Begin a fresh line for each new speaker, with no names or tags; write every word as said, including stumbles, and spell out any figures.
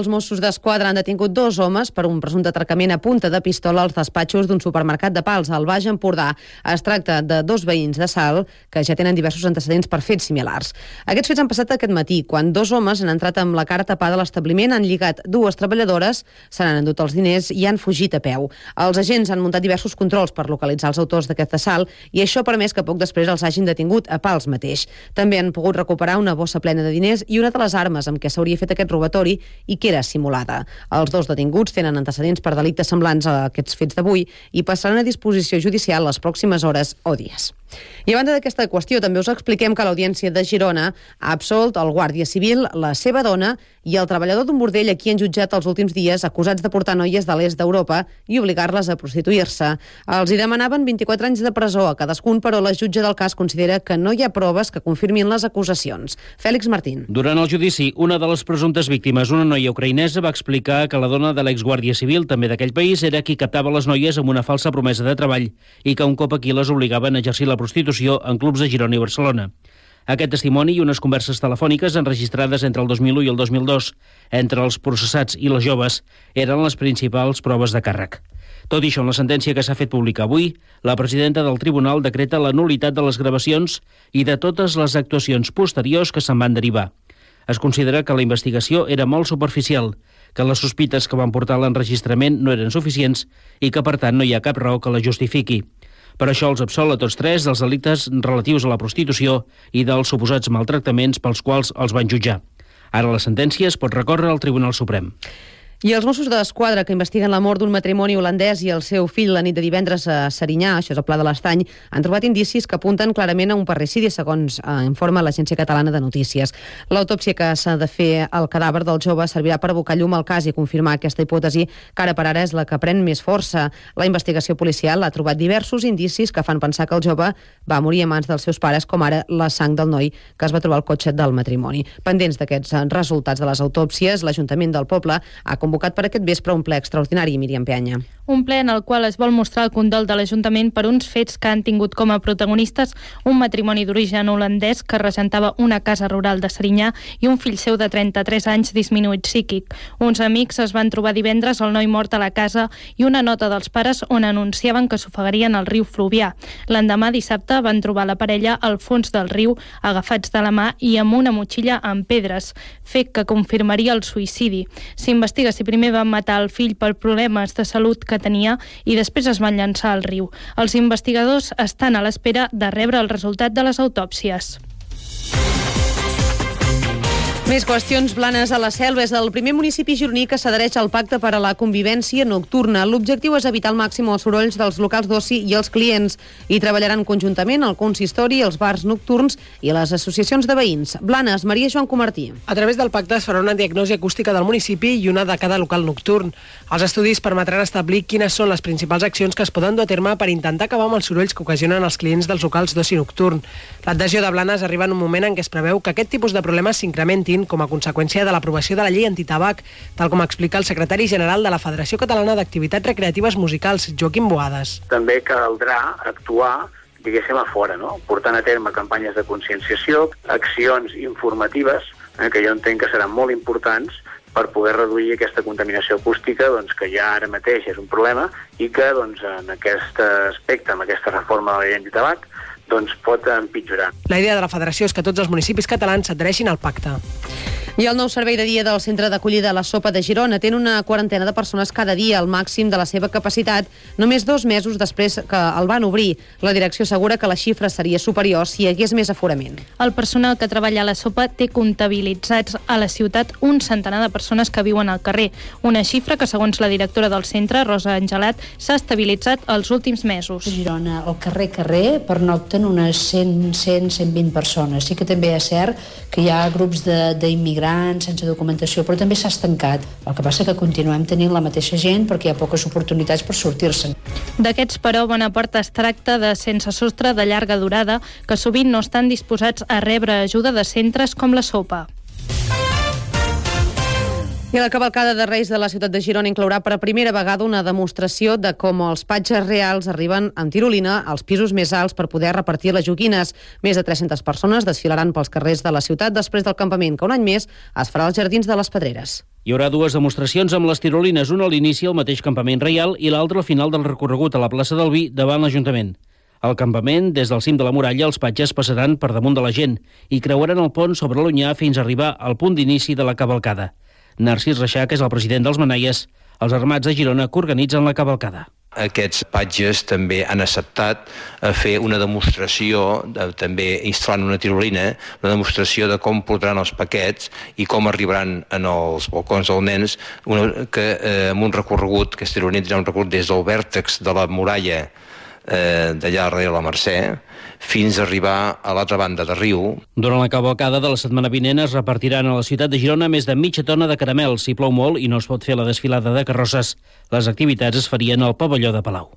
Els Mossos d'Esquadra han detingut dos homes per un presumpte atracament a punta de pistola als despatxos d'un supermercat de Pals, al Baix Empordà. Es tracta de dos veïns de Salt que ja tenen diversos antecedents per fets similars. Aquests fets han passat aquest matí, quan dos homes han entrat amb la cara tapada a l'establiment, han lligat dues treballadores, se n'han endut els diners i han fugit a peu. Els agents han muntat diversos controls per localitzar els autors d'aquest assalt i això ha permès que poc després els hagin detingut a Pals mateix. També han pogut recuperar una bossa plena de diners i una de les armes amb què s'hauria fet aquest robatori i que era simulada. Els dos detinguts tenen antecedents per delictes semblants a aquests fets d'avui i passaran a disposició judicial les pròximes hores o dies. I a banda d'aquesta qüestió, també us expliquem que l'Audiència de Girona ha absolt el guàrdia civil, la seva dona i el treballador d'un bordell a qui han jutjat els últims dies acusats de portar noies de l'est d'Europa i obligar-les a prostituir-se. Els hi demanaven vint-i-quatre anys de presó a cadascun, però la jutge del cas considera que no hi ha proves que confirmin les acusacions. Fèlix Martín.
Durant el judici, una de les presumptes víctimes, una noia ucraïnesa, va explicar que la dona de l'exguàrdia civil, també d'aquell país, era qui captava les noies amb una falsa promesa de treball i que un cop aquí les obligaven a exercir la prostitució en clubs de Girona i Barcelona. Aquest testimoni i unes converses telefòniques enregistrades entre el dos mil u i el dos mil dos entre els processats i les joves eren les principals proves de càrrec. Tot i això, en la sentència que s'ha fet pública avui, la presidenta del tribunal decreta la nul·litat de les gravacions i de totes les actuacions posteriors que se'n van derivar. Es considera que la investigació era molt superficial, que les sospites que van portar a l'enregistrament no eren suficients i que, per tant, no hi ha cap raó que la justifiqui. Per això els absol a tots tres dels delictes relatius a la prostitució i dels suposats maltractaments pels quals els van jutjar. Ara la sentència es pot recórrer al Tribunal Suprem.
I els Mossos d'Esquadra, que investiguen la mort d'un matrimoni holandès i el seu fill la nit de divendres a Serinyà, això és el Pla de l'Estany, han trobat indicis que apunten clarament a un parricidi, segons eh, informa l'Agència Catalana de Notícies. L'autòpsia que s'ha de fer al cadàver del jove servirà per abocar llum al cas i confirmar aquesta hipòtesi, que ara per ara és la que pren més força. La investigació policial ha trobat diversos indicis que fan pensar que el jove va morir a mans dels seus pares, com ara la sang del noi que es va trobar al cotxe del matrimoni. Pendents d'aquests resultats de les autòpsies, l'Ajuntament del poble ha convocat per aquest vespre un ple extraordinari, Míriam Peanya.
Un ple en el qual es vol mostrar el condol de l'Ajuntament per uns fets que han tingut com a protagonistes un matrimoni d'origen holandès que regentava una casa rural de Serinyà i un fill seu de trenta-tres anys disminuït psíquic. Uns amics es van trobar divendres el noi mort a la casa i una nota dels pares on anunciaven que s'ofegarien al riu Fluvià. L'endemà, dissabte, van trobar la parella al fons del riu, agafats de la mà i amb una motxilla amb pedres, fet que confirmaria el suïcidi. S'investiga si primer van matar el fill per problemes de salut que tenia i després es van llançar al riu. Els investigadors estan a l'espera de rebre el resultat de les autòpsies.
Més qüestions. Blanes a la Selva és el primer municipi gironí que s'adhereix al Pacte per a la Convivència Nocturna. L'objectiu és evitar al màxim els sorolls dels locals d'oci i els clients i treballaran conjuntament el consistori, els bars nocturns i les associacions de veïns. Blanes, Maria Joan Comartí.
A través del pacte es farà una diagnosi acústica del municipi i una de cada local nocturn. Els estudis permetran establir quines són les principals accions que es poden dur a terme per intentar acabar amb els sorolls que ocasionen els clients dels locals d'oci nocturn. L'adhesió de Blanes arriba en un moment en què es preveu que aquest tipus de problemes s'incrementin com a conseqüència de l'aprovació de la llei antitabac, tal com explica el secretari general de la Federació Catalana d'Activitats Recreatives Musicals, Joaquim Boades.
També caldrà actuar, diguéssim, a fora, no? Portant a terme campanyes de conscienciació, accions informatives, eh, que jo entenc que seran molt importants per poder reduir aquesta contaminació acústica, doncs, que ja ara mateix és un problema i que doncs, en aquest aspecte, amb aquesta reforma de la llei antitabac, doncs pot empitjorar.
La idea de la federació és que tots els municipis catalans s'adhereixin al pacte.
I el nou servei de dia del centre d'acollida La Sopa de Girona té una quarantena de persones cada dia, al màxim de la seva capacitat, només dos mesos després que el van obrir. La direcció assegura que la xifra seria superior si hi hagués més aforament.
El personal que treballa a La Sopa té comptabilitzats a la ciutat un centenar de persones que viuen al carrer, una xifra que, segons la directora del centre, Rosa Angelat, s'ha estabilitzat els últims mesos.
A Girona, al carrer carrer, pernocten unes cent, cent, cent vint persones. Sí que també és cert que hi ha grups d'immigrants sense documentació, però també s'ha estancat. El que passa que continuem tenint la mateixa gent perquè hi ha poques oportunitats per sortir-se'n.
D'aquests, però, bona part es tracta de sense sostre de llarga durada que sovint no estan disposats a rebre ajuda de centres com La Sopa.
I la cavalcada de Reis de la ciutat de Girona inclourà per primera vegada una demostració de com els patges reals arriben amb tirolina als pisos més alts per poder repartir les joguines. Més de tres-centes persones desfilaran pels carrers de la ciutat després del campament que un any més es farà als Jardins de les Pedreres.
Hi haurà dues demostracions amb les tirolines, una a l'inici al mateix campament reial i l'altra al final del recorregut a la plaça del Vi davant l'Ajuntament. Al campament, des del cim de la muralla, els patges passaran per damunt de la gent i creuaran el pont sobre l'Onyar fins a arribar al punt d'inici de la cavalcada. Narcís Reixac és el president dels Manaies, els Armats de Girona que organitzen la cavalcada.
Aquests patges també han acceptat a fer una demostració, de, també instal·lant una tirolina, una demostració de com portaran els paquets i com arribaran en els balcons dels nens, una, que eh, amb un recorregut, que aquesta tirolina tindrà un recorregut des del vèrtex de la muralla eh, d'allà darrere la Mercè, fins a arribar a l'altra banda de riu.
Durant la cavalcada de la setmana vinent es repartiran a la ciutat de Girona més de mitja tona de caramels. Si plou molt i no es pot fer la desfilada de carrosses, les activitats es farien al pavelló de Palau.